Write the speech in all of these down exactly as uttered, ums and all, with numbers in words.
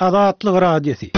Azatlyk Radiosy.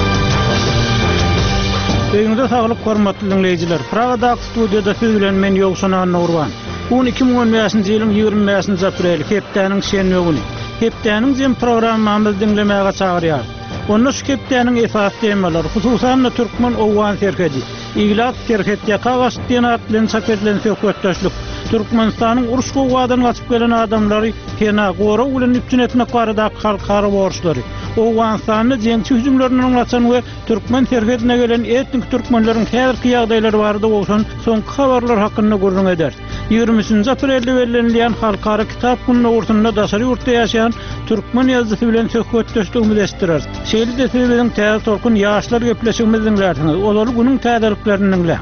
Öýüňize saglyk hormatly diňleýjiler. Pragadaky studiýada siz bilen men Ýowşan Annagurban. Bu gün iki müň on bäşinji ýylyň ýigrimi bäşinji apreli, hepdäniň şenbe güni. Hepdäniň jem programmamyzy diňlemäge çagyrýarys. Onda şu hepdäniň esasy temalary, hususan-da türkmen-owgan serhedi, ilat serhet ýaka gaçdy diýen at bilen çap edilen söhbetdeşlik, Türkmenistanyň uruş-gowgadan gaçyp gelen adamlary pena, gorag bilen üpjün etmek baradaky halkara borçlary, Owganystanda jeňçi hüjümlerinden gaçan we türkmen serhedine gelen etnik türkmenleriň häzirki ýagdaýlary barada gowşan soňky habarlar hakynda gürrüň ederis. Ýigrimi üçünji aprelde bellenilýän Halkara kitap güni dogrusynda daşary ýurtda ýaşaýan türkmen ýazyjysy bilen söhbetdeşligimizi eşitdireris. Şeýle-de siz biziň Täze Tolkun ýaşlar gepleşigimizi diňlärsiňiz. Ozaly günüň täzeliklerini diňläň.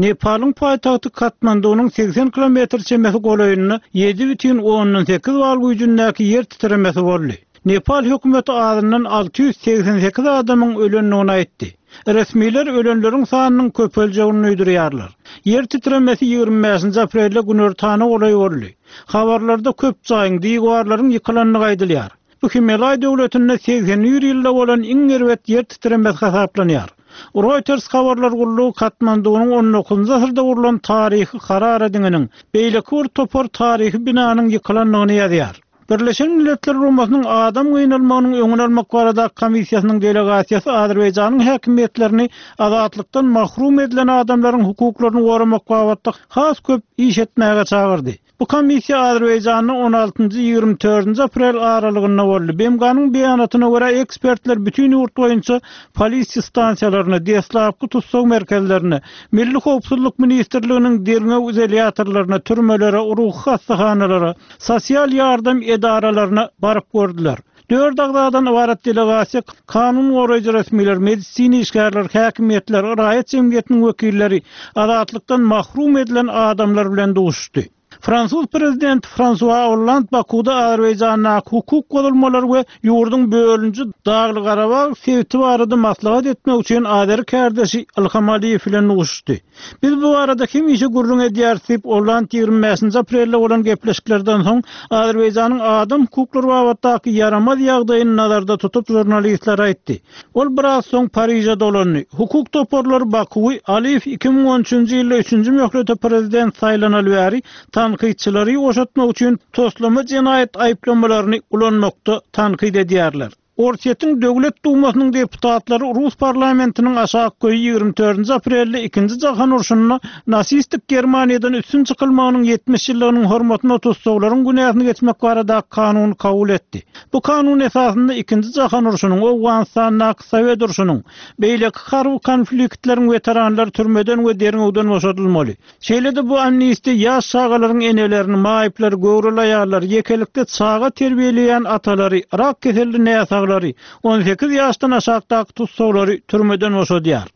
Nepalyň paýtagty Katmandunyň segsen kilometr çemesi golaýynda ýedi bütin ondan sekiz bal güýjündäki ýer titremesi boldy. Nepal hökümeti azyndan alty ýüz segsen sekiz adamyň ölendigini aýtdy. Resmiler ölenleriň sanynyň köpeljegini duýdurýarlar. Ýer titremesi ýigrimi bäşinji aprelde günortana golaý boldy. Habarlarda köp jaýyň, diwarlaryň ýykylandygy aýdylýar. Bu Himalaý döwletinde segsen bir ýylda bolan iň erbet ýer titremesi hasaplanýar. Reuters habarlar gullugy Katmandunyň on dokuzynjy asyrda gurlan taryhy Harara diňiniň, beýleki bir topar taryhy binanyň ýykylandygyny ýazýar. Birleşen Milletler Guramasynyň adam gynalmagynyň öňüni almak baradaky komissiýasynyň delegasiýasy Azerbaýjanyň häkimiýetlerini azatlykdan mahrum edilen adamlaryň hukuklaryny goramak babatda has köp iş etmäge çagyrdy. Bu komissiýa Azerbaýjanda on altynjy ýigrimi dördünji aprel aralygynda boldy. B M G-nyň beýanatyna görä, ekspertler bütün ýurt boýunça polisiýa stansiýalaryna, deslapky tussag merkezlerine, Milli howpsuzlyk ministrliginiň derňew izolýatorlaryna, türmelere, ruhy hassahanalara, sosial ýardam edaralaryna baryp gördüler. Dört agzadan ybarat delegasiýa kanun goraýjy resmiler, medisina işgärleri, häkimiýetler, raýat jemgyýetiniň wekilleri, azatlykdan mahrum edilen adamlar bilen duşuşdy. Fransuz prezidenti Fransua Hollande Bakuda Azerbaýjandaky hukuk bozulmalary we ýurduň bölünji Dagly-Garabag sebiti barada maslahat etmek üçin Azeri kärdeşi Ilham Aliýew bilen duşuşdy. Biz bu barada hemişe gürrüň edýäris diýip, Hollande ýigrimi bäşinji aprelde bolan gepleşiklerden soň Azerbaýjanyň adam hukuklary babatdaky ýaramaz ýagdaýyny nazarda tutup žurnalistlere aýtdy. Ol biraz soň Pariže dolandy. Hukuk toparlary Bakuwy Aliýew iki müň on üçünji ýylda üçünji möhlete prezident saýlanaly bäri tankytçylary boşatmak üçin toslama jenaýat aýyplamalaryny ulanmakda tankyt edýärler. Orsýetiň Döwlet Dumasynyň deputatlary Rus parlamentiniň aşak köýi ýigrimi dördünji aprelde ikinji jahan urşunda nasistik Germaniýadan üstün çykylmagynyň ýetmiş ýyllygynyň hormatyna tussaglaryň günäsini geçmek baradaky kanuny kabul etdi. Bu kanun esasynda ikinji jahan urşunyň, Owganystandaky Sowet urşunyň, beýleki harby konfliktleriň weteranlary türmeden we derňewden boşadylmaly. Şeýle-de bu amnistiýa ýaş çagalaryň enelerini, maýyplary, göwreli aýallary, ýekelikde çaga terbiýeleýän atalary, rak keselli näsaglary, on sekiz ýaşdan aşakdaky tussaglary türmeden boşadýar.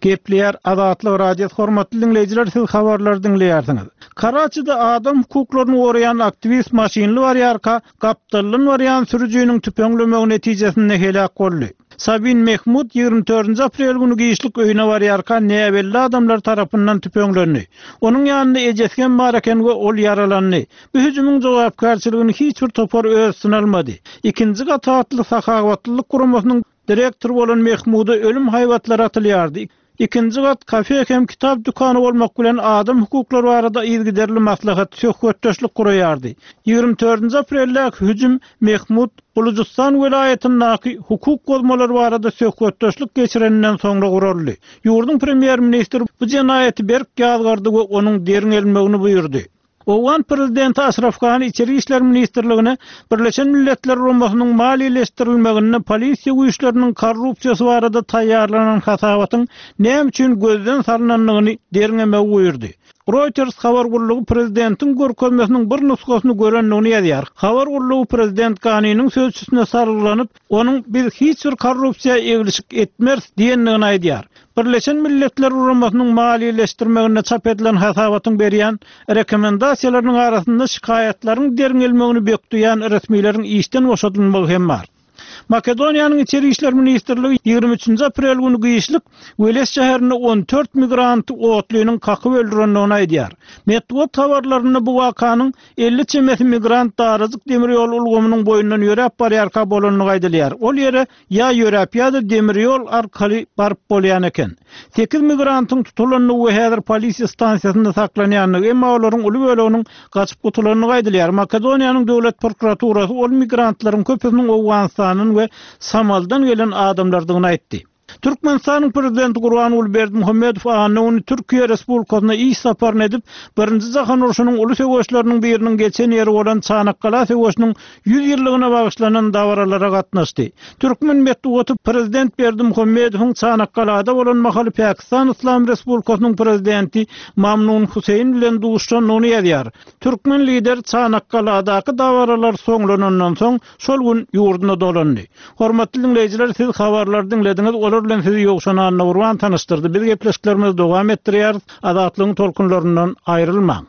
Gepleýär Azatlyk Radiosy, hormatly diňleýjiler, siz habarlary diňleýärsiňiz. Karaçide adam hukuklaryny goraýan aktiwist maşynly barýarka, gapdaldan barýan sürüjiniň tüpeňlemegi netijesinde heläk boldy. Sabin Mehmud ýigrimi dördünji aprel güni giçlik öýüne barýarka näbelli adamlar tarapyndan tüpeňlendi. Onuň ýanynda ejesi hem bar eken we ol ýaralandy. Bu hüjümiň jogapkärçiligini hiç bir topar öz üstüne almady. Ikinji gat atly sahawatlylyk guramasynyň direktory bolan Mehmuda ölüm haýbatlary atylýardy. Ikinji gat kafe hem kitap dükany bolmak bilen adam hukuklary barada yzygiderli maslahat, söhbetdeşlik guraýardy. Ýigrimi dördünji apreldäki hüjüm Mehmud Bulujystan welaýatyndaky hukuk bozmalary barada söhbetdeşlik geçireninden soňra guraldy. Ýurduň premýer-ministri bu jenaýaty berk ýazgardy we onuň derňelmegini buýurdy. Owgan prezidenti Aşraf Gani İçeri İşler Ministrligine Birleşen Milletler Guramasynyň maliýeleşdirilmeginde polisiýa güýçleriniň korrupsiýasy barada taýýarlanan hasabatyň näme üçin gözden salynandygyny derňemegi buýurdy. Reuters habar gullugy prezidentiň görkezmesiniň bir nusgasyny görendigini ýazýar. Habar gullugy prezident Ganiniň sözçüsine salgylanyp, onuň biz hiç bir korrupsiýa eglişik etmeris diýendigini aýdýar. Birleşen Milletler Guramasynyň maliýeleşdirmeginde çap edilen hasabatyň berýän rekomendasiýalarynyň arasynda şikaýatlaryň derňelmegini bökdeýän resmileriň işden boşadylmagy hem bar. Makedoniýanyň Içeri işler ministrligi ýigrimi üçünji aprel güni giçlik Weles şäherinde on dört migranty otlynyň kakyp öldürendigini aýdýar. Metbugat habarlarynda bu wakanyň elli çemesi migrant darajyk demir ýol ulgamynyň boýundan ýöräp barýarka bolandygy aýdylýar. Ol ýere ýa ýöräp ýa-da demir ýol arkaly baryp bolýan eken. Sekiz migrantyň tutulandygy we häzir polisiýa stansiýasynda saklanýandygy, emma olaryň uly böleginiň gaçyp gutulandygy aýdylýar. Makedoniýanyň döwlet prokuraturasy ol migrantlaryň köpüsiniň Owganystandan we Somaldan gelen adamlardygyny aýtdy. Türkmenistanyň prezidenti Gurbanguly Berdimuhamedow anna güni Türkiýe Respublikasyna iş saparyny edip, Birinji Jahan urşunyň uly söweşleriniň biriniň geçen ýeri bolan Çanakgala söweşiniň ýüz ýyllygyna bagyşlanan dabaralara gatnaşdy. Türkmen metbugaty prezident Berdimuhamedowyň Çanakgalada bolan mahaly Pakistan Islam Respublikasynyň prezidenti Mamnun Huseýn bilen duşandygyny ýazýar. Türkmen lider Çanakgaladaky dabaralar soňlanandan soň şol gün ýurduna dolandy. Hormatly dinleýjiler, siz habarlary diňlediňiz. Olar bilen sizi Ýowşan Annagurban tanyşdyrdy. Biz gepleşiklerimizi dowam etdirýäris. Azatlygyň tolkunlaryndan aýrylmaň.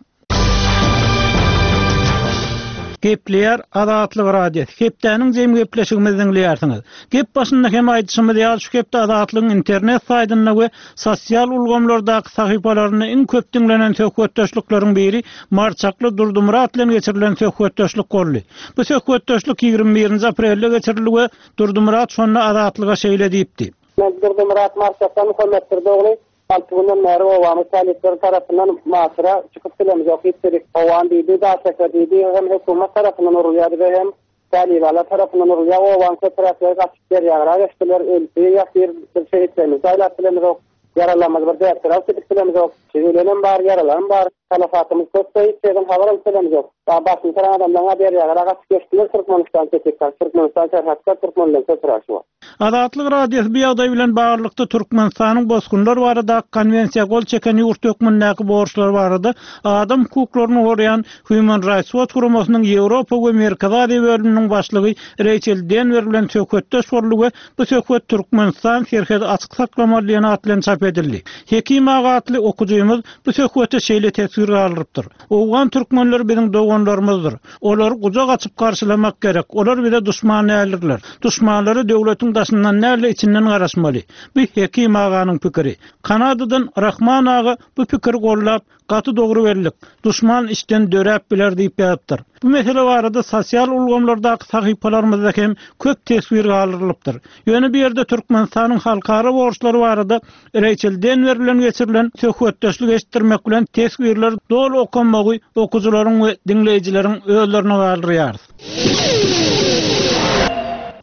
Gepleýär Azatlyk Radiosy. Hepdäniň jem gepleşigimizi diňleýärsiňiz. Gep başynda hem aýdyşymyz ýaly şu hepde Azatlygyň internet saýtynda we sosial ulgamlardaky sahypalarynda iň köp diňlenen söhbetdeşlikleriň biri Marçakly Durdumyrat bilen geçirilen söhbetdeşlik boldy. Bu söhbetdeşlik ýigrimi birinji aprelde geçirildi we Durdumyrat şonda Azatlyga şeýle diýipdi. Men Durdumyrat Marçakdan Muhammet Durdogly. Altı günden bäri obamyz talyplar tarapyndan masyra çykyp bilemiz yok. Hiç owan diýdi, daşaka diýdi, hem hökümet tarapyndan urulýardy we hem talyplar tarapyndan urulýar. Owan köpräkleri gaçyp berýär, geçdiler, öldi, ýatyr, bir şey etmemiz, jaýlap bilemiz yok. Yaralanmaz bir däpdir alyp gidip bilemiz yok. Ölenem bar, ýaralanam bar. Talafatymyz köp, hiç yerden habar alyp bilemiz yok. Daha başını saran adamdan haber ýarar, gaçyp geçdiler Türkmenistan çekikler, Türkmenistan serhatda Türkmenler köpräk şu. Azatlyk Radiosy bu ýagdaý bilen baglylykda Türkmenistanyň bosgunlar barada konwensiýa gol çeken ýurt hökmündäki borçlar barada adam hukuklaryny goraýan Human Rights Watch guramasynyň Ýewropa we Merkezi Aziýa bölüminiň başlygy Rachel Denver bilen söhbetdeş boldy we bu söhbet Türkmenistan serhedi açyk saklamaly diýen at bilen çap edildi. Hekim aga atly okujymyz bu söhbete şeýle teswir galdyrypdyr. Owgan türkmenleri biziň doganlarymyzdyr. Olary gujak açyp garşylamak gerek. Olar bize duşman däldirler. Duşmanlary döwletiň daşyndan däl, içinden garaşmaly. Bu Hekim aganyň pikiri. Kanadadan Rahman aga bu pikiri gollap, gaty dogry bellik. Duşman içden döräp biler diýip ýazypdyr. Bu mesele barada sosial ulgamlardaky sahypalarymyzda hem köp teswir galdyrylypdyr. Ýöne bu ýerde Türkmenistanyň halkara borçlary barada Rachel Denver bilen geçirilen söhbetdeşlik eşitdirmek bilen teswirler doly okanmagy okujylaryň we diňleýjileriň özlerine galdyrýarys.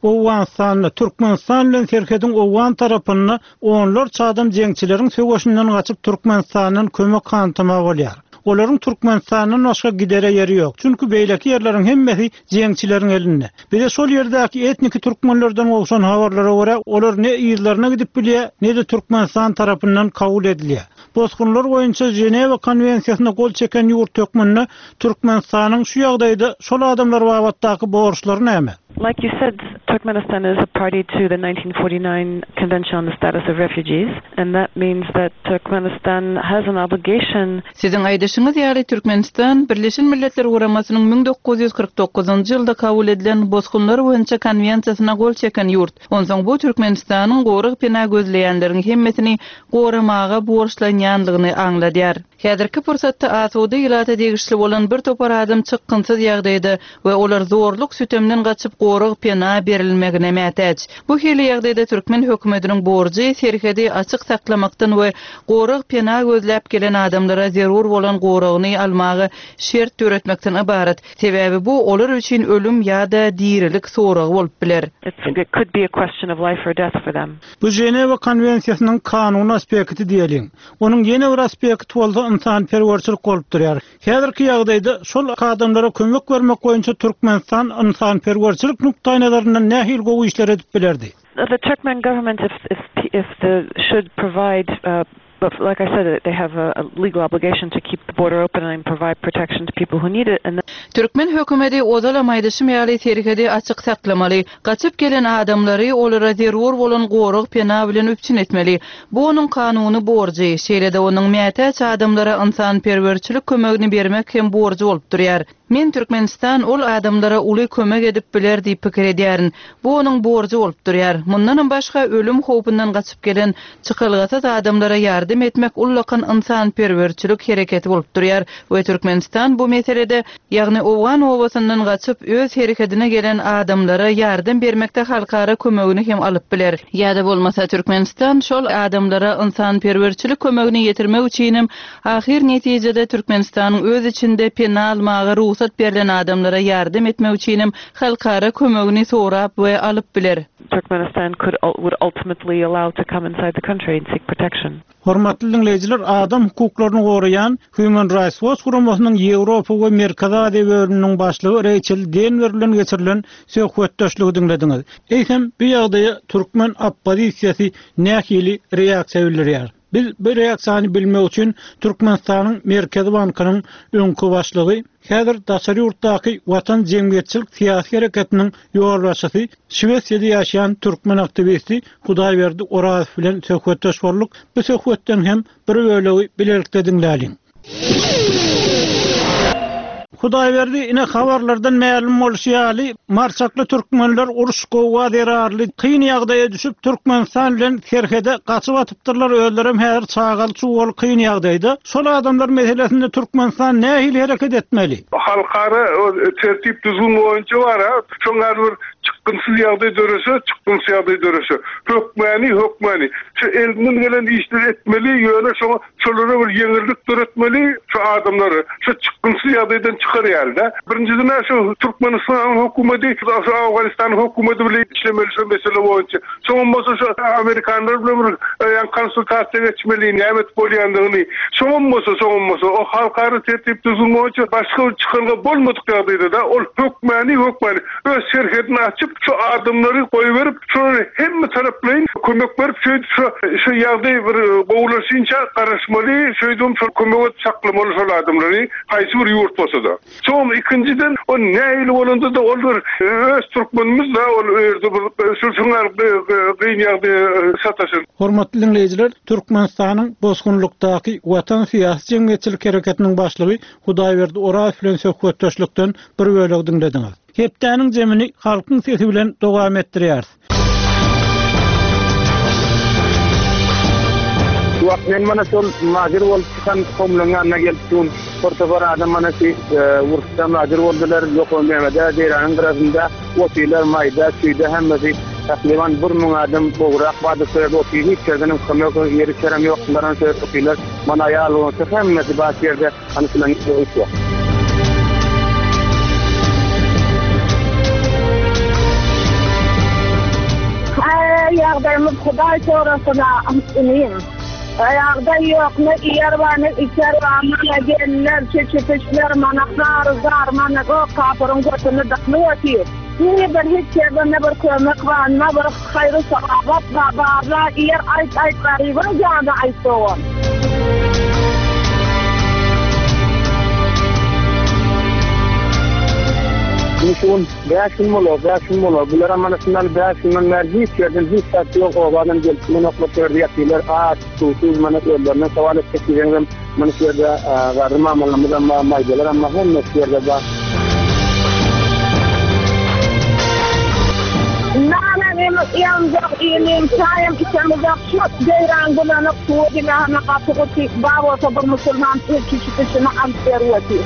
Owganystanda Türkmenistan bilen serhediň Owgan tarapynda onlarça adam jeňçileriň söweşinden gaçyp Türkmenistandan kömek hantama bolýar. Olaryň Türkmenistandan başga gidere ýeri ýok. Çünki beýleki ýerleriň hemmesi jeňçileriň elinde. Bize şol ýerdäki etniki türkmenlerden gowşan habarlara görä, olar ne ýerlerine gidip bilýär, ne-de Türkmenistan tarapyndan kabul edilýär. Bosgunlar boýunça Ženewa konwensiýasyna gol çeken ýurt hökmünde Türkmenistanyň şu ýagdaýda şol adamlar babatdaky borçlary näme? Like you said, Turkmenistan is a party to the nineteen forty-nine Convention on the Status of Refugees, and that means that Turkmenistan has an obligation. Siziň aýdyşyňyz ýaly Türkmenistan Birleşen Milletler Guramasynyň müň dokuz ýüz kyrk dokuzynjy ýylda kabul edilen bosgunlar boýunça konwensiýasyna gol çeken ýurt. Onsoň bu Türkmenistanyň gorag pena gözleýänleriň hemmesini goramaga borçlanýanlygyny aňladýar. Häzirki pursatda asuda ilata degişli bolan bir topar adam çykgynsyz ýagdaýda we olar zorluk sütemden gaçyp gorag pena berilmegine mätäç. Bu hili ýagdaýda türkmen hökümetiniň borjy serhedi açyk saklamakdan we gorag pena gözläp gelen adamlara zerur bolan goragyny almaga şert döretmekden ybarat. Sebäbi bu olar üçin ölüm ýa-da dirilik soragy bolup biler. It's, it could be a question of life or death for them. Bu Ženewa konwensiýasynyň kanuny aspekti diýeliň. Onuň ýene bir aspekti bolsa ynsanperwerçilik bolup durýar. Häzirki ýagdaýda şol adamlara kömek bermek boýunça Türkmenistan ynsanperwerçilik nukdaýnazaryndan nähili gowy işler edip bilerdi? The Turkmen government if, if, if the should provide, uh, but like I said, they have a, a legal obligation to keep the border open and provide protection to people who need it. And Türkmen hökümeti ozalam aýdyşym ýaly serhedi açyk saklamaly, gaçyp gelen adamlary olara zerur bolan gorag pena bilen üpjün etmeli. Bu onuň kanuny borjy, şeýle-de onuň mätäç adamlara ynsanperwerçilik kömegini bermek hem borjy bolup durýar. Men Türkmenistan ol adamlara uly kömek edip biler diýip pikir edýärin. Bu onuň borjy bolup durýar. Mundanam başga ölüm howpundan gaçyp gelen çykalgasyz adamlara ýardam etmek ullakan ynsanperwerçilik hereketi bolup durýar we Türkmenistan bu meselede, ýagny owgan obasyndan gaçyp öz herekedine gelen adamlara ýardam bermekde halkara kömegini hem alyp biler. Ýa-da bolmasa Türkmenistan şol adamlara ynsanperwerçilik kömegini ýetirmek üçinem ahyr netijede Türkmenistanyň öz içinde pena almaga rugsat berlen adamlara ýardam etmek üçinem halkara kömegini sorap we alyp biler. Turkmenistan could would ultimately allow to come inside the country and seek protection. Hormatly diňleýjiler, adam hukuklaryny goraýan Human Rights Watch guramasynyň Ýewropa we Merkezi Aziýa bölüminiň başlygy Reýçel Denwer bilen geçirilen söhbetdeşligi diňlediňiz. Eýsem, bu ýagdaýa türkmen oppozisiýasy nähili reaksiýa bildirýär? Biz bu reaksiýany bilmek üçin Türkmenistanyň Merkezi bankynyň öňki başlygy, häzir daşary ýurtdaky Watan jemgyýetçilik syýasy hereketiniň ýolbaşçysy, Şwesiýada ýaşaýan türkmen aktiwisti Hudaýberdi Orazow bilen söhbetdeş bolduk. Bu söhbetden hem bir bölegi bilelikde diňläliň. Hudaýberdi, ine habarlardan mälim bolşy ýaly, marçakly türkmenler uruş gowga zerarly kyn ýagdaýa düşüp, Türkmenistan bilen serhede gaçyp atypdyrlar, özlerem häzir çagaly çuwaly kyn ýagdaýda. Şol adamlar meselesinde Türkmenistan nähili hereket etmeli? Halkara tertip düzgün boýunça bar-a, şoň ýaly bir çykgynsyz ýagdaý dörese, çykgynsyz ýagdaý dörese, hökmäni, hökmäni şu elinden gelen işleri etmeli, ýöne şoňa şolara bir ýeňillik döretmeli, şu adamlary şu çykgynsyz ýagdaýdan çykar ýaly-da. Birinjiden-ä şu Türkmenistanyň hökümeti şu Owganystanyň hökümeti bilen işlemeli şu mesele boýunça. Soňam bolsa şu amerikanlar bilen bir ýa konsultasiýa geçmeli, näme edip bolýandygyny. Soňam bolsa, soňam bolsa o halkara tertip düzgün boýunça başga bir çykalga bolmadyk ýagdaýda-da ol hökmäni, hökmäni öz serhedini açyp, şu adamlary goýberip, şolara hemme taraplaýyn kömek berip, şeýdip şu şu ýagdaý bir gowulaşynça garaşmaly, şeýdibem şol kömek edip saklamaly şol adamlary, haýsy bir ýurt bolsa-da. Soňam ikinjiden, o nähili bolanda-da ol bir öz türkmenimiz-de, ol ýerde bir şu şuňa gyn ýagdaýa sataşan. Hormatly diňleýjiler, Türkmenistanyň bosgunlykdaky Watan syýasy jemgyýetçilik hereketiniň başlygy Hudaýberdi Orazow bilen söhbetdeşlikden bir bölegi diňlediňiz. Hepdäniň jemini Halkyň sesi bilen dowam etdirýäris. Şu wagt men mana şol majir bolup çykan kowumlaryň ýanyna gelip durun. Bir topar adam mana şu uruşda majir boldular. Ýokary Mehmede, Deýranyň gyrasynda otyrlar, maýda, çüýde hemmesi. Takryban bir müň adam gowrak bardyr şu ýerde otyr. Hiç ýerden hem kömek, ýer içerem ýok. Bular şu ýerde otyrlar. Mana aýal bolsa hemmesi bar şu ýerde. Hany şular ýok. Aý, ýagdaýymyz Hudaý sorasyn-a, inim. Ýagdaý ýok, ne iýer bar, ne içer bar. Mana gelinler, çeçe-peçler, mana zar-zar, mana gök kapyryň götüni dykyp otyr. Ne bir hiç ýerden ne bir kömek bar, ne bir haýry-sogap bar, barla iýer, aýt-aýt garybyň jany aýt dogan. Indi şu gün bäş gün bolar, bäş gün bolar. Bularam mana şundan bäş günden bäri hiç ýerden hiç zat ýok, obadan gelip bilenoklar, şu ýerde ýatyrlar, aç, suwsuz, mana özlerinden sowal etjek diýseňizem, mana şu ýerde garry mamalarymyzam bar, maýdalaram bar, hemmesi şu ýerde bar. Nanam iýemzok, ilim, çaýam içemizok, şu deýran bulanyk suwy diňe hana gaty guty, bar bolsa bir musulman ilçi şuny alyp berip otyr.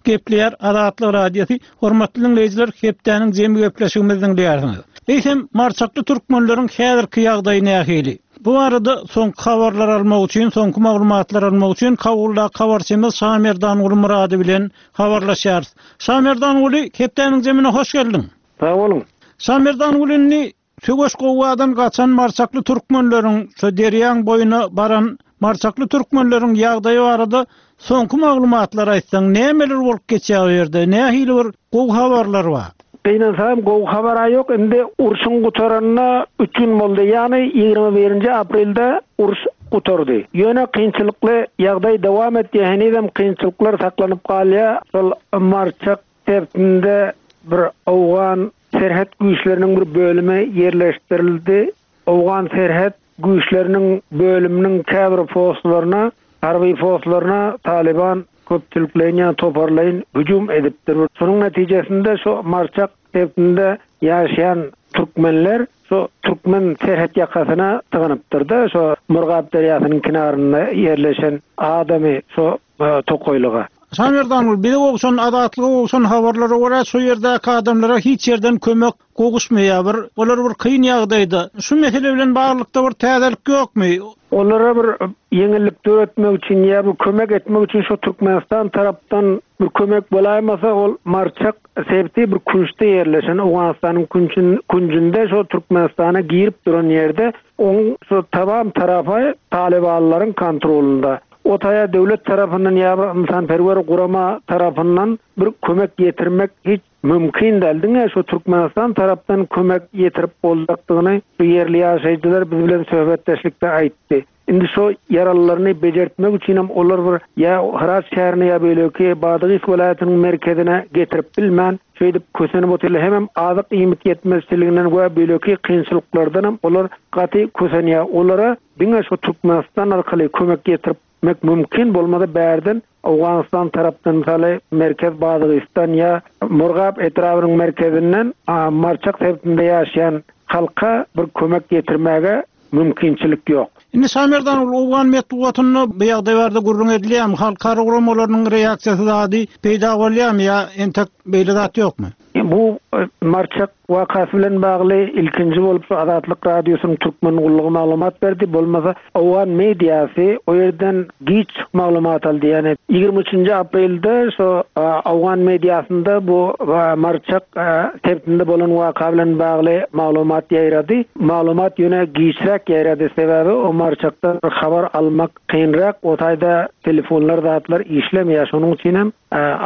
Gepleýär Azatlyk Radiosy. Hormatly diňleýjiler, hepdäniň jemi gepleşigimizi diňleýärsiňiz. Eýsem, marçakly türkmenleriň häzirki ýagdaýy nähili? Bu barada soňky habarlar almak üçin, soňky maglumatlar almak üçin Kabuldaky habarçymyz Şamerdanguly Murady bilen habarlaşýarys. Şamerdanguly, hepdäniň jemine hoş geldiň. Sag boluň. Şamerdanguly, indi söweş gowgadan gaçan marçakly türkmenleriň, şu derýaň boýuna baran marçakly türkmenleriň ýagdaýy barada soňky maglumatlar aýtsaň, nämeler bolup geçýär o ýerde, nähili bir gowy habarlar bar? Gynansam gowy habar ýok. Indi urşuň gutaranyna üç gün boldy. Ýagny ýigrimi birinji aprelde uruş gutardy. Ýöne kynçylykly ýagdaý dowam etdi, henizem kynçylyklar saklanyp galýar. Şol Marçak sebitinde bir owgan serhet güýçleriniň bir bölümi ýerleşdirildi. Owgan serhet güýçleriniň bölüminiň käbir postlaryna, harby postlaryna Taliban köpçülikleýin ýa toparlaýyn hüjüm edipdir. Şonuň netijesinde şu Marçak sebitinde ýaşaýan türkmenler şu türkmen serhet ýakasyna sygynypdyr-da, şu Murgap derýasynyň kenarynda ýerleşen adamy şu e, tokaýlyga. Şamerdan bize gowşan Azatlyga gowşan habarlara görä şu ýerdäki adamlara hiç ýerden kömek gowuşmaýar. Bir olar bir kyn ýagdaýda. Şu mesele bilen baglylykda bir täzelik ýokmy? Olara bir ýeňillik döretmek üçin ýa bir kömek etmek üçin şu Türkmenistan tarapdan bir kömek bolaýmasa ol Marçak sebiti bir künçde ýerleşen Owganystanyň künçün künjünde şu Türkmenistana girip duran ýerde oň şu tamam tarapy Talibanlaryň kontrolunda. O taýa döwlet tarapyndan ýa bir insanperwer gurama tarapyndan bir kömek ýetirmek hiç mümkin däl. Diňe şu Türkmenistan tarapdan kömek ýetirip boljakdygyny bu ýerli ýaşaýjylar biz bilen söhbetdeşlikde aýtdy. Indi şu ýaralylaryny bejertmek üçin hem olar bir ýa Hyrat şäherine ýa beýleki Badagys welaýatynyň merkezine getirip bilmän, şeýdip kösenip otyrlar. Hemem azyk iýmit ýetmezçiliginden we beýleki kynçylyklardan hem olar gaty kösenýär. Olara diňe şu Türkmenistan arkaly kömek ýetirmek mümkin bolmasa bärden Owganystan tarapdan mysaly Merkez Badagystan ýa Murgap etrabynyň merkezinden Marçak sebitinde ýaşaýan halka bir kömek ýetirmäge mümkinçilik ýok. Indi Şamerdan ol Owgan metbugatynda bu ýagdaý barada gürrüň edilýärmi? Halkara guramalarynyň reaksiýasy zady peýda bolýarmy ýa entek beýle zat ýokmy? Bu e, Marçak wakasy bilen bagly ilkinji bolup şu Azatlyk Radiosynyň Türkmen gullugy maglumat berdi. Bolmasa Owgan mediasy o ýerden giç maglumat aldy. Ýani ýigrimi üçünji aprelde şu e, Owgan mediasynda bu e, Marçak e, sebitinde bolan waka bilen bagly maglumat ýaýrady. Maglumat ýöne giçräk ýaýrady. Sebäbi o Marçakdan habar almak kynrak, o taýda telefonlar zatlar işlemeýär. Şonuň üçin hem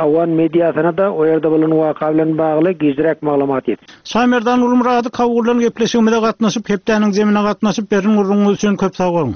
Owgan mediasyna da o ýerde bolan waka bilen bagly gijräk maglumat ýetdi. Şamerdan Ulumurady Kawurlan gepleşigimize gatnaşyp, hepdäniň zemine gatnaşyp berin gurruňyz üçin köp sag boluň.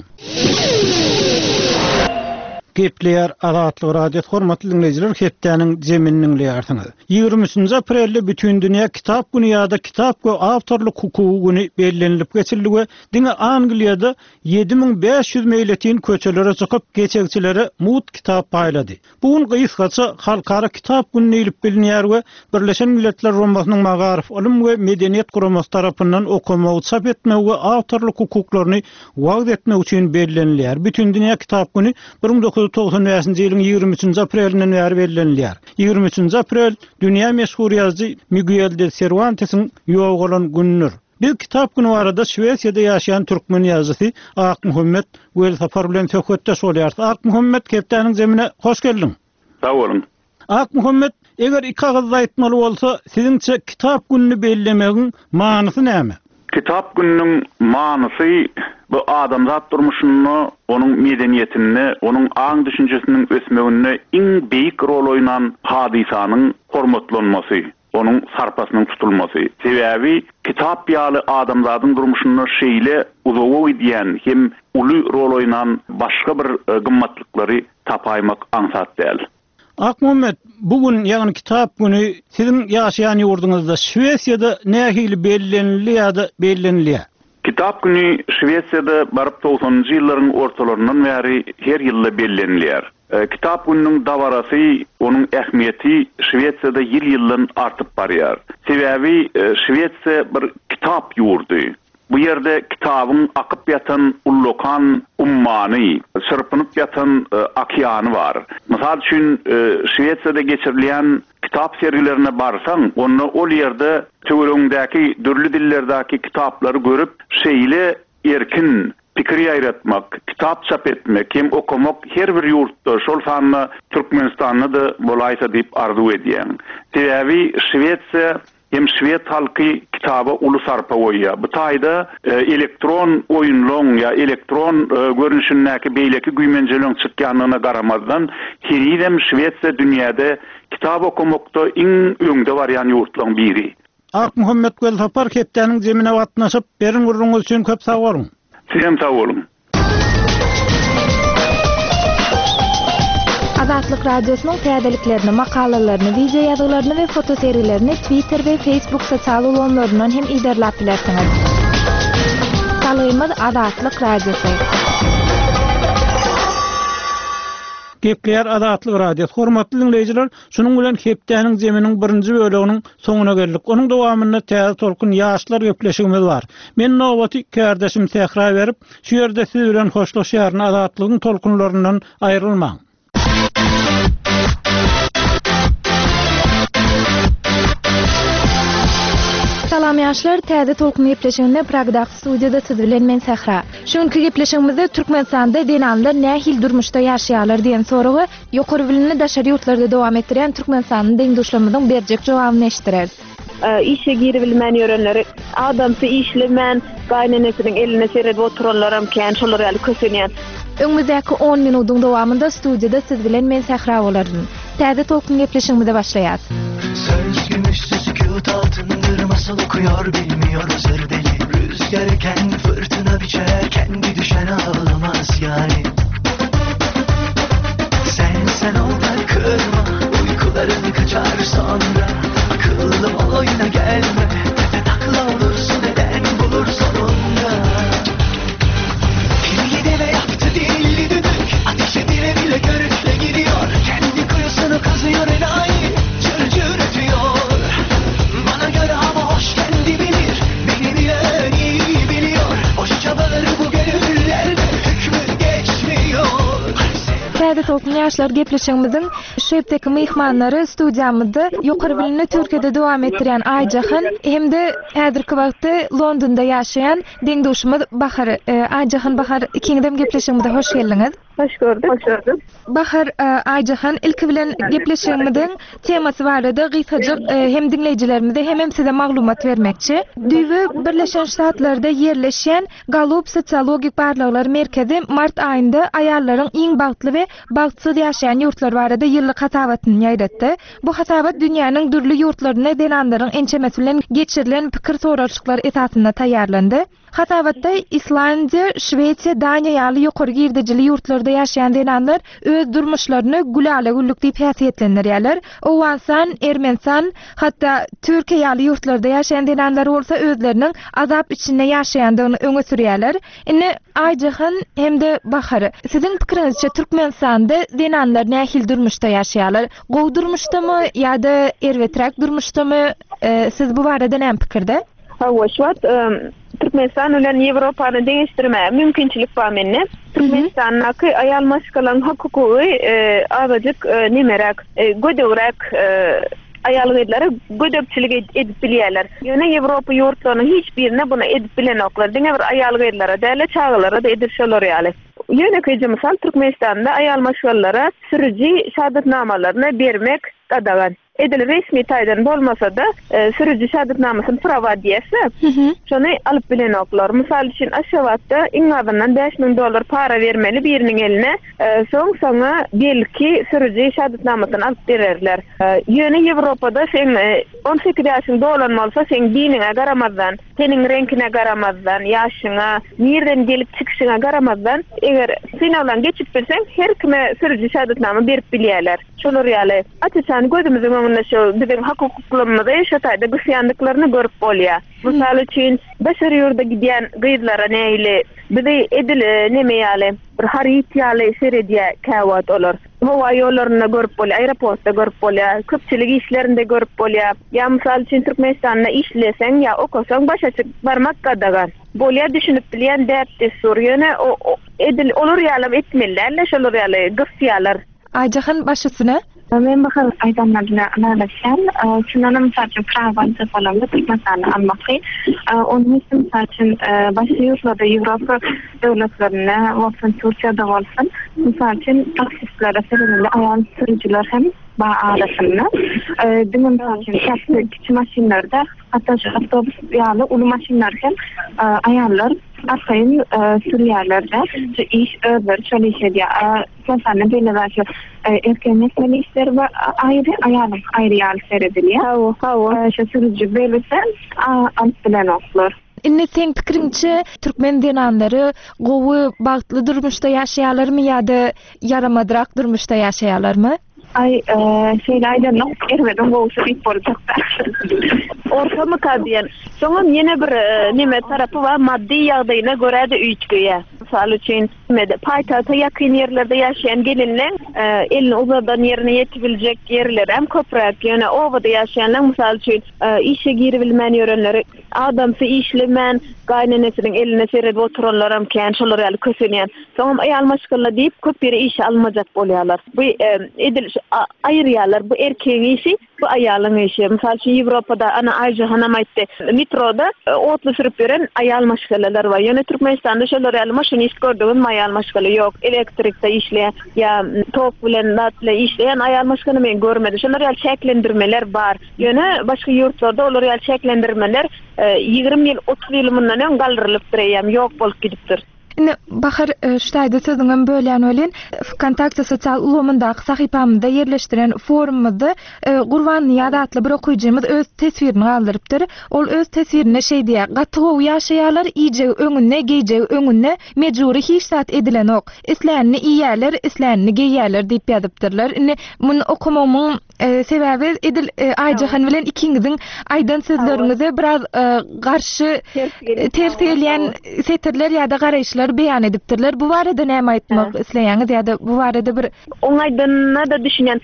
Gepleýär Azatlyk Radiosy hormatly dinleýjiler, hepdäniň zeminini dinleýärsiňiz. Ýigrimi üçünji aprelde bütün dünýä kitap güni ýa-da kitap we awtorlyk hukugy güni bellenilip geçildi we diňe Angliýada ýedi müň bäş ýüz meýletin köçelere çykyp geçegçilere mut kitap paýlady. Bu gün gysgaça Halkara kitap güni diýlip bilinýär we Birleşen Milletler Guramasynyň Magaryf, Ylym we Medeniýet Guramasy tarapyndan okamagy, çap etmegi we awtorlyk hukuklaryny wagyz etmek üçin bellenilýär. Bütün dünýä kitap güni bir müň dokuz ýüz togsan bäşinji ýylyň ýigrimi üçünji aprelinden bäri bellenilýär. Ýigrimi üçünji aprel dünýä meşhur ýazyjy Miguel de Cervantesiň ýogalan günüdür. Bir kitap günü barada Şwesiýada ýaşaýan türkmen ýazyjysy Akmuhammet Welsapar bilen söhbetdeş bolýarys. Akmuhammet, hepdäniň zemine hoş geldiň. Sag boluň. Akmuhammet, eger iki agyzda aýtmaly bolsa, siziňçe kitap gününi bellemegiň manysy näme? Kitap gününiň manysy bu adamzat durmuşynda, onuň medeniýetinde, onuň aň düşünjesiniň ösmeginde iň beýik rol oýnan hadysanyň hormatlanmasy, onuň sarpasynyň tutulmasy. Sebäbi kitap ýaly adamzadyň durmuşynda şeýle uzaga gidýän hem uly rol oýnan başga bir, e, gymmatlyklary tapaýmak aňsat däl. Akmuhammet, bugün ýagny kitap günü siziň ýaşaýan ýurduňyzda Şwesiýada nähili bellenildi ýa-da bellenilýär? Kitap günü Şwesiýada baryp togsanynjy ýyllaryň ortalaryndan bäri her ýylda bellenilýär. E, kitap gününiň dabarasy, onuň ähmiýeti Şwesiýada ýyl-ýyldan artyp barýar. Sebäbi, e, Şwesiýa bir kitap ýurdy. Bu ýerde kitabyň akyp ýatan ullokan ummany, çyrpynyp ýatan, e, okeany bar. Mysal üçin, e, Şwesiýada geçirilýän kitap sergilerine barsaň, onda ol ýerde töweregindäki dürli dillerdäki kitaplary görüp, şeýle erkin pikir ýaýratmak, kitap çap etmek, hem okamak her bir ýurtda, şol sanda Türkmenistanda da bolaýsa diýip arzuw edýän. Sebäbi Şwesiýa hem şwed halky kitaba uly sarpa goýýar. Bu taýda, e, elektron oýunlaryň ýa elektron, e, görnüşindäki beýleki güýmenjeligiň çykýandygyna garamazdan, henizem Şwesiýa dünýäde kitap okamakda iň öňde barýan ýurtlaryň biri. Akmuhammet Welsapar hepdäniň zemine gatnaşyp, berin gurruňyz üçin köp sag boluň. Sizem sag boluň. Azatlyk Radiosynyň täzeliklerini, makalalaryny, wideo ýazgylaryny we fotosergilerini Twitter we Facebook sosial ulgamlaryndan hem yzarlap bilersiňiz. Salgymyz Azatlyk Radiosy. Gepleýär Azatlyk Radiosy. Hormatly dinleýjiler, şunuň bilen hepdäniň zeminiň birinji böleginiň soňuna geldik. Onuň dowamynda täze tolkun ýaşlar gepleşigimiz bar. Men nowaty kardeşim Sähra berip, şu ýerde siz bilen hoşlaşýaryn. Azatlygyň tolkunlaryndan aýrylmaň. Salam ýaşlar, täze tolkun gepleşiginde Pragdaky studiýada siz bilen men Sähra. Şu günki gepleşigimizde Türkmenistanda zenanlar nähili durmuşda ýaşaýarlar diýen soragy ýokary bilimli daşary ýurtlarda dowam etdirýän Türkmenistanyň deňduşlarymyzyň berjek jogabyny eşitdireris. Işe girebilmän ýörenleri, adamsy işlemän, gaýnenesiniň eline seredip oturanlaram kän, şolar ýaly kösenýän. Öňümizdäki on minutyň dowamynda studiýada siz bilen men Sähra bolaryn. Täze tolkun gepleşigimize başlaýas. Söz gümüşsü sükût altındır, masal okuyor bilmiyor özür deli. Rüzgar eken fırtına biçer, kendi düşen ağlamaz yani. Sen sen ol da kırma, uykuların kaçar sonra. Akıllı ol oyuna gelme, tepe takla olursun neden bulur sonunda. Kirli deve yaptı dilli düdük, ateşe bile bile körükle gidiyor. Kendi kuyusunu kazıyor enayi, cır cır ötüyor. Bana göre hava hoş kendi bilir, beni bilen iyi biliyor. Boşça bağır bu gönüllerde hükmü geçmiyor. Täze tolkun ýaşlar gepleşigimiziň şu hepdeki myhmanlary studiýamyzda ýokary bilimli Türkiýede dowam etdirýän Aýjahan hem-de häzirki wagtda Londonda ýaşaýan deňduşymyz Bahar. Aýjahan Bahar, ikiňizem gepleşigimize hoş geldiňiz. Hoş gördük. Hoş gördük. Bahar, Aýjahan, ilki bilen gepleşigimiziň temasy barada gysgajyk hem dinleýjilerimize hem hem size maglumat bermekçi. Düýbi Birleşen Ştatlarda ýerleşen Gallup Sosiologik Barlaglar Merkezi mart aýynda aýallaryň iň bagtly we bagtsyz ýaşaýan ýurtlar barada ýyllyk hasabatyny ýaýratdy. Bu hasabat dünýäniň dürli ýurtlarynda zenanlaryň ençemesi bilen geçirilen pikir soralyşyklar esasynda taýýarlandy. Hasabatda Islandiýa, Şwesiýa, Daniýa ýaly ýokary girdejili ýurtlarda ýaşaýan zenanlar öz durmuşlaryny gülala güllük diýip häsiýetlendirýärler. Owganystan, Ermenistan, hatda Türkiýe ýaly ýurtlarda ýaşaýan zenanlar bolsa özleriniň azap içinde ýaşaýandygyny öňe sürýärler. Indi Aýjahan hem-de Bahar, siziň pikiriňizçe Türkmenistanda zenanlar nähili durmuşda ýaşaýarlar? Gowy durmuşdamy ýa-da erbeträk durmuşdamy? Siz bu barada näme pikirde? Hawa, şu wagt Türkmenistan bilen Ýewropany deňeşdirmäge mümkinçilik bar mende. Türkmenistandaky aýal maşgalaň hukugy azajyk nemeräk, gödegräk aýal gyzlara gödekçilik edip bilýärler. Ýöne Ýewropa ýurtlarynyň hiç birine bunu edip bilenoklar. Diňe bir aýal gyzlara däl, çagalara da edip şolar ýaly. Ýönekeýje mysal Türkmenistanda aýal maşgalalara sürüji şahadatnamalaryny bermek gadagan. Edil resmi taýdan bolmasa da sürüji şahadatnamasyny prava diýse, şony alyp bilenoklar. Mysal üçin Aşgabatda iň azyndan bäş müň dollar para bermeli biriniň eline, soň soňa belki sürüji şahadatnamasyny alyp bererler. Ýöne Ýewropada sen on sekiz ýaşyň dolan bolsa, sen diniňe garamazdan, seniň reňkine garamazdan, ýaşyňa, nirden gelip çykyşyňa garamazdan, eger synagdan geçip bilseň, her kime sürüji şahadatnama berip bilýärler. Şolar ýaly açyşan gözümiziň öňünde şu biziň hukuklarymyzy şu taýda gysýandyklaryny görüp bolýar. Mysal üçin daşary ýurda gidýän gyzlara nähili bizi edil neme ýaly bir haryt ýaly seredýär käwagt olar. Howa ýollarynda görüp bolýar, aeroportda görüp bolýar, köpçülik işlerinde görüp bolýar. Ýa mysal üçin Türkmenistanda işleseň ýa okasaň başa çyk barmak gadagan. Bolýar düşünip bilýän däp dessur ýöne o edil olar ýaly etmeliler, şolar ýaly gysýarlar. Aýjahan baş üstüne. Men Bahar aýdanlaryna ylalaşýan. Şundan mysal üçin prava alanda Türkmenistanda almaky. Onuň üçin mysal üçin başga ýurtlarda Ýewropa döwletlerinde bolsun, Türkiýede bolsun, mysal üçin taksistlere seredilende aýal sürüjiler hem bar arasynda. Diňe mysal üçin taksi kiçi maşynlarda, hatda şu awtobus ýaly uly maşynlar hem aýallar arkaýyn sürýärler-de. Şu iş özleri şol iş edýär. Türkmenistanda belli başly erkegiň etmeli işleri bar, aýry, aýalyň aýry ýaly seredilýär. Hawa, hawa. Şu sürüji belirse, alyp bilenoklar. Indi seň pikiriňçe türkmen zenanlary gowy bagtly durmuşda ýaşaýarlarmy ýa-da ýaramadrak durmuşda ýaşaýarlarmy? Aý, şeýle aýdanok, erbediň gowusy diýip boljakda. Ortamyka diýen. Soňam ýene bir neme tarapy bar, maddy ýagdaýyna görä-de üýtgeýär. Mysal üçin, paýtagta ýakyn ýerlerde ýaşaýan gelinleň elini uzadan ýerine ýetibiljek ýerlerem köpräk. Ýöne obada ýaşaýanlaň, mysal üçin, işe giribilmän ýörenleri, adamsy işlemän, gaýynenesiniň eline seredip oturanlaram kän, şolar ýaly kösenýän. Soňam aýal maşgala diýip, köp ýere işe almajak bolýarlar. Bu edil aýyrýarlar, bu erkegiň işi, bu aýalyň işi. Mysal üçin, Ýewropada, ana Aýjahanam aýtdy, metroda otly sürüp ýören aýal maşgalalar bar. Ýöne Türkmenistanda şolar ýaly maşinist gördüňizmi aýal maşgala ýok. Elektrikde işleýän ýa tok bilen zat bilen işleýän aýal maşgala men görmedim. Şolar ýaly çäklendirmeler bar. Ýöne başga ýurtlarda olar ýaly çäklendirmeler ýigrimi ýyl, otuz ýyl mundan öň galdyrylypdyr, eýýäm ýok bolup gidipdir. Indi Bahar, şu taýda sözüňem bölýän welin, Vkontakte sosial ulgamyndaky sahypamyzda ýerleşdiren forumymyzda Gurbannyýaz atly bir okyjymyz öz teswirini galdyrypdyr. Ol öz teswirinde şeý diýýär: Gaty gowy ýaşaýarlar, iýjegi öňünde, geýjegi öňünde, mejbury hiç zat edilenok. Islänini iýýärler, islänini geýýärler diýip ýazypdyrlar. Indi muny okamagymyň sebäbi edil Aýjahan bilen ikiňiziň aýdan sözleriňize biraz garşy ters gelýän setirler ýa-da garaýyşlar beýan edipdirler. Bu barada näme aýtmak isleýäňiz ýa-da bu barada bir Oň aýdanyna-da düşünýän,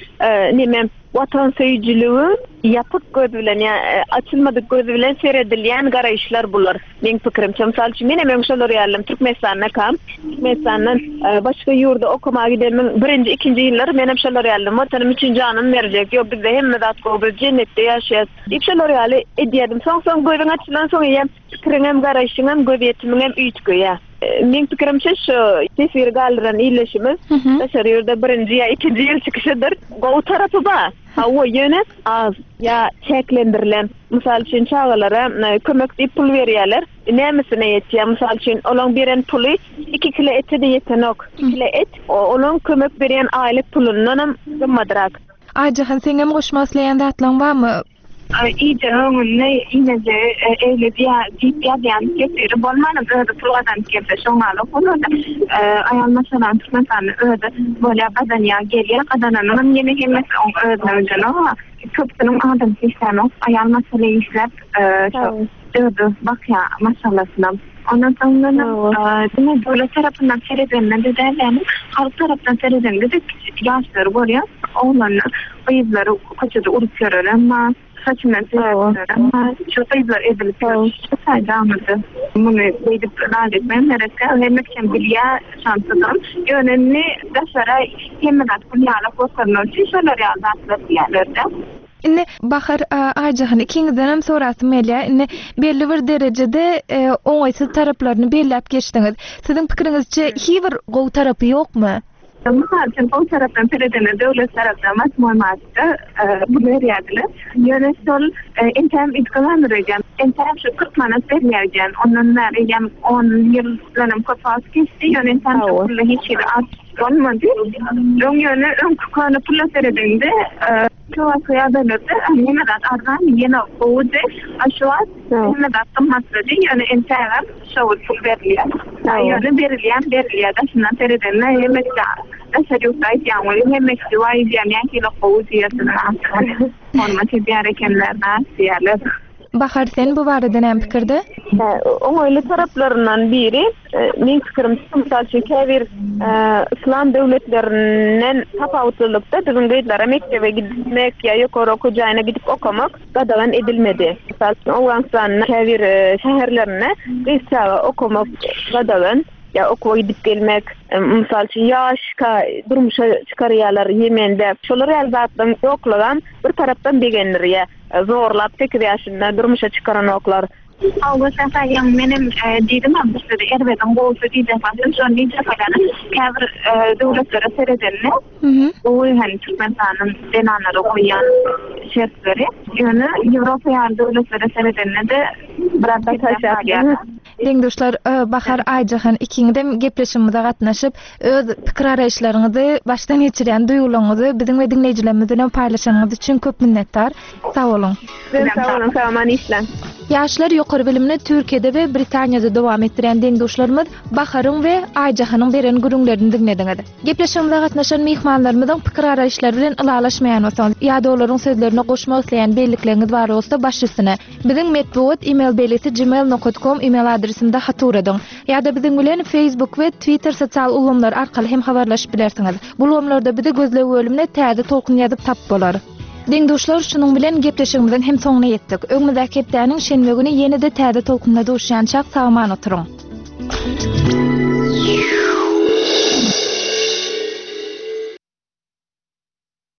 neme watansöýüjiligi ýapyk göz bilen ýa açylmadyk göz bilen seredilýän garaýyşlar bular. Meň pikirimçe, mysal üçin, menem öň şolar ýalym Türkmenistanda kam, Türkmenistandan başga ýurda okamaga gidenimiň birinji, ikinji ýyllary menem şolar ýalym, watanym üçin janymy berjek, ýok bizde hemme zat gowy, biz jennetde ýaşaýas diýip şolar ýaly edýärdim. Soň-soň gözüň açylan soň eýýäm pikiriňem, garaýşyňam, gözýetimiňem üýtgeýär. Meň pikirimçe, şu teswiri galdyran illeşimiz daşary ýurda birinji ýa ikinji ýyl çykyşydyr. Gowy tarapy bar. Hawa, ýöne az ýa çäklendirilen. Mysal üçin, çagalara kömek diýip pul berýärler. Nämesine ýetýär? Mysal üçin, olaň beren puly iki kilo ete-de ýetenok. Iki kilo et, olaň kömek berýän aýlyk pulundanam gymmadrak. Aýjahan, seňem goşmak isleýän zatlaryň barmy? Iýjegi öňünde, iýmejegi eýle diýip ýazýan teswiri bolmanam özi pul gazanyp gelse şoňalyk bolar-da. Aýal maşgalanyň Türkmenistanda özi bolýar, gazanýar, gelýär, gazananynam ýene hemmesi oň özüne ödenok. Köpüsiniň adamsy işlänok, aýal maşgala işläp, şo özi bakýar maşgalasyna. Ondan soň diňe döwlet tarapyndan seredende-de däl, ýagny halk tarapdan seredende-de kiçi ýaşlary görýär, oglanlar, gyzlary köçede urup ýörerem bar, saçyndan seredip bar, şu gyzlar edilip ýör. Şu taýda muny beýdip zat etmem gerekkä, hemme kişem bilýär şansyzam. Ýöne indi daşara hemme zat gül ýaly görkezmek üçin şolar ýaly zatlar diýýärler-de. Indi Bahar, Aýjahan ikiňizdenem sorasym gelýär. Indi belli bir derejede oňaýsyz taraplaryny belläp geçdiňiz. Siziň pikiriňizçe hiç bir gowy tarapy ýokmy? Mysal üçin, gowy tarapdan seredende döwlet tarapdan osmoý martda pul berýärdiler. Ýöne şol entäm üýtgemändir öýdýän. Entäm şu kyrk manat berýär öýdýän. Ondan bäri eýýäm on ýyl bilenem köp wagt geçdi. Ýöne entäm şu pulda hiç hili artyş bolmady. Öň ýöne öňki köne pula seredende şu wagtky ýagdaýlarda hemme zat arzan, ýene gowudy. A şu wagt hemme zat gymmatlady. Ýöne entägem şo pul berilýär. Ýöne berilýän berilýär. Daşyndan seredende hemme daşary ýurtda aýtýan welin hemme kişi waý diýýär, nähili gowy diýýär. Hormat edýär ekenler, näs diýýärler. Bahar, sen bu barada näme pikirde? Oňaýly taraplaryndan biri, meň pikirimçe, mysal üçin, käbir yslam döwletlerinden tapawutlylykda biziň gyzlara mekdebe gitmek ýa ýokary okuw jaýyna gidip okamak gadagan edilmedi. Mysal üçin, Owganystanda käbir şäherlerinde gyz çaga okamak gadagan, ýa okuwa gidip gelmek, mysal üçin, ýaşka durmuşa çykarýarlar Ýemende. Şolar ýaly zatlaryň ýoklugam bir tarapdan begendirýär. Zorlap sekiz ýaşynda durmuşa çykaranoklar. Hawa, şäher menem diýdim hem bu sözi erbediň gowusy diýjek bolsam, şony diýjek bolýan. Käbir döwletlere seredende, gowy hem Türkmenistanyň zenanlara goýýan şertleri. Ýöne Ýewropa ýaly döwletlere seredende-de biraz pesräk galýar. Deň-duşlar Bahar Aýjahan ikiňizem gepleşigimize gatnaşyp, öz pikir garaýyşlaryňyzy, başdan geçirýän duýgularyňyzy biziň we diňleýjilerimiz bilen paýlaşanyňyz üçin köp minnetdar. Sag boluň. Sizem sag boluň, sag aman işläň. Ýaşlar ýokary bilimini Türkiýede we Britaniýada dowam etdirýän deň-duşlarymyz Baharyň we Aýjahanyň beren gürrüňlerini diňlediňiz. Gepleşigimize gatnaşan myhmanlarymyzyň pikir-garaýyşlary bilen ylalaşmaýan bolsaňyz ýa-da olaryň sözlerine goşmak isleýän bellikleriňiz bar bolsa baş üstüne. Biziň metbugat email belgisi gmail nokat com email adresimize hat ugradyň. Ýa-da biziň bilen Facebook we Twitter sosial ulgamlary arkaly hem habarlaşyp bilersiňiz. Bu ulgamlarda bizi gözleg bölümine Täze Tolkun ýazyp tapyp bolar. Deň-duşlar şunuň bilen gepleşigimiziň hem soňuna ýetdik. Öňümizdäki hepdäniň şenbe güni ýene-de Täze Tolkunda duşýançak sag-aman oturyň.